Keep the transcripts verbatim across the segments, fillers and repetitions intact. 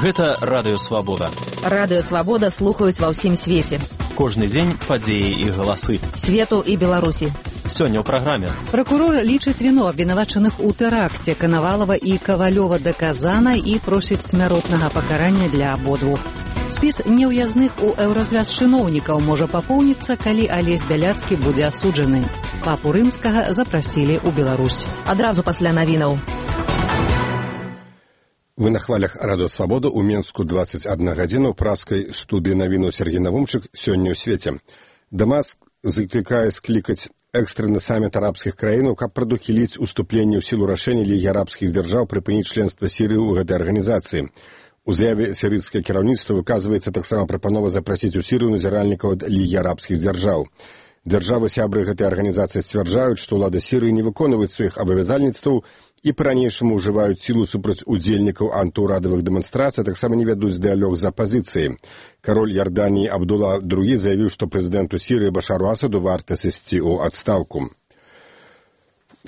Гэта Радыё Свабода. Радыё Свабода слухаюць ва ўсім свеце. Кожны дзень падзеі і галасы. Свету і Беларусі. Сёння ў праграме. Пракурор лічыць віну абвінавачаных у тэракце Канавалова і Кавалёва даказана і просіць смяротнага пакарання для абодвух. Спіс неўязных у еўразвяз чыноўнікаў можа папоўніцца, калі Алесь Бяляцкі будзе асуджаны. Папу Рымскага запрасілі ў Беларусь. Адразу пасля навінаў. Вы на хвалях Радыё Свабода ў Менску дваццаць адна гадзіна ў праскай студыі навінаў Сергей Навумчык сёння ў свеце. Дамаск заклікае склікаць экстраны саміт арабскіх краінаў, каб прадухіліць уступленне ў сілу рашэння Лігі арабскіх дзяржаў прыпыніць членства Сірыі ў гэтай арганізацыі. У заяве сірыйскае кіраўніцтва выказваецца таксама прапанова запрасіць у Сірыю назіральнікаў ад Лігі арабскіх дзяржаў. Дзяржавы-сябры гэтай арганізацыі сцвярджаюць, што ўлады Сірыі не выконваюць сваіх абавязальніцтваў і па-ранейшаму ўжываюць сілу супраць удзельнікаў антыўрадавых дэманстрацый, таксама не вядуць дыялог з апазіцыяй. Кароль Ярданіі Абдулла другі заявіў, што прэзідэнту Сірыі Башару Асаду варта сысці ў адстаўку.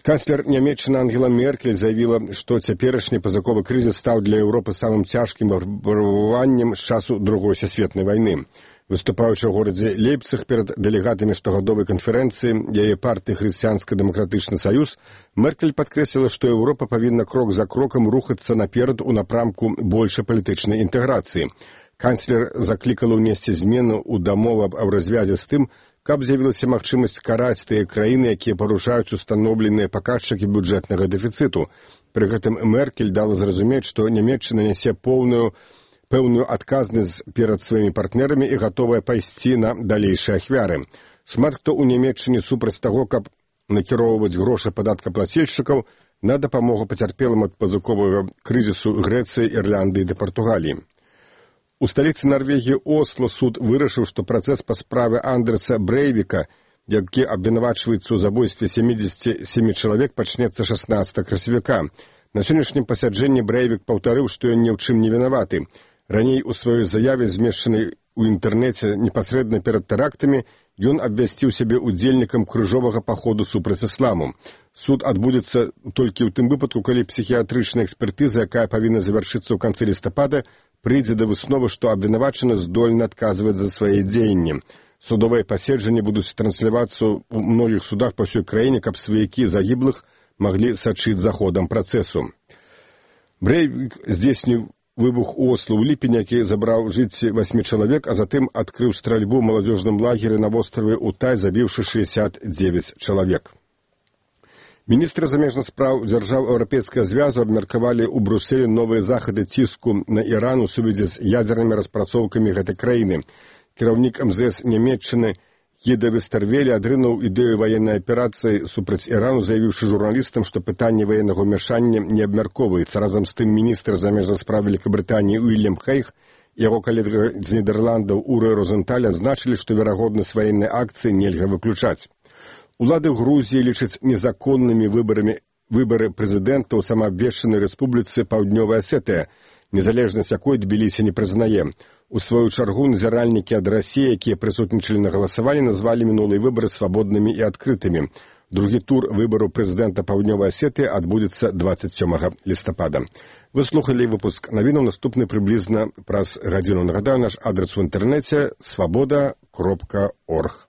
Канцлер Нямецчыны Ангела Меркель заявіла, што цяперашні пазаковы крызіс стаў для Еўропы самым цяжкім выпрабаваннем з часу Другой сусветнай вайны. Выступаючы ў горадзе Лейпцыг перад дэлегатамі штогадовай канферэнцыі яе партыі Хрысціянска-дэмакратычны саюз, Меркель падкрэсліла, што Еўропа павінна крок за крокам рухацца наперад у напрамку большай палітычнай інтэграцыі. Канцлер заклікала ўнесці змены ў дамову аб развязе з тым, каб з'явілася магчымасць караць тыя краіны, якія парушаюць устаноўленыя паказчыкі бюджэтнага дэфіцыту. Пры гэтым Меркель дала зразумець, што Нямецчына нясе поўную пэўную адказнасць перад сваімі партнерамі і гатовая пайсці на далейшыя ахвяры. Шмат хто ў Нямецчыне супраць таго, каб накіроўваць грошы падаткаплацельшчыкаў на дапамогу пацярпелым ад пазыковага крызісу Грэцыі, Ірландыі ды Партугаліі. У сталіцы Нарвегіі Осло суд вырашыў, што працэс па справе Андрэса Брэйвіка, які абвінавачваецца ў забойстве сямідзесяці сямі чалавек, пачнецца шаснаццатага красавіка. На сённяшнім пасяджэнні Брэйвік паўтарыў, што ён ні ў чым не вінаваты. Раней у сваёй заяве, змешчанай у інтэрнэце непасрэдна перад тэрактамі, ён абвясціў сябе удзельнікам крыжовага паходу супраць ісламу. Суд адбудзецца толькі ў тым выпадку, калі псіхіятрычная экспертыза, якая павінна завяршыцца ў канцы лістапада, прыйдзе да высновы, што абвінавачаны здольны адказваць за свае дзеянні. Судовыя паседжанні будуць транслявацца ў многіх судах па ўсёй краіне, каб сваякі загіблых маглі сачыць за ходам працэсу. Брэйвік здзейсніў выбух у Осло ў ліпені, які забраў жыцці васьмі чалавек, а затым адкрыў стральбу ў маладзёжным лагеры на востраве Утай, забіўшы шэсцьдзесят дзевяць чалавек. Міністры замежных спраў дзяржаў Еўрапейскага звязу абмеркавалі ў Брюсселі новыя захады ціску на Іран у сувязі з ядзернымі распрацоўкамі гэтай краіны. Кіраўнік эм зэ эс Нямецчыны Гіда Вестэрвеле адрынуў ідэю ваеннай аперацыі супраць Ірану, заявіўшы журналістам, што пытанне ваеннага ўмяшання не абмяркоўваецца. Разам з тым міністр замежных спраў Вялікабрытаніі Уільям Хейг і яго калега з Нідерландаў Урэ Розенталь адзначылі, што верагоднасць ваеннай акцыі нельга выключаць. Улады Грузіі лічаць незаконнымі выбарамі выбары прэзідэнта ў самаабвешчанай рэспубліцы Паўднёвая Асетыя, незалежнасць якой Тбілісі не прызнае. У сваю чаргу назіральнікі ад Расіі, якія прысутнічалі на галасаванні, назвалі мінулыя выбары свабоднымі і адкрытымі. Другі тур выбараў прэзідэнта Паўднёвай Асетыі адбудзецца дваццаць сёмага лістапада. Вы слухалі выпуск навінаў, наступны прыблізна праз гадзіну. Нагадаю, наш адрас у інтэрнэце свабода кропка орг.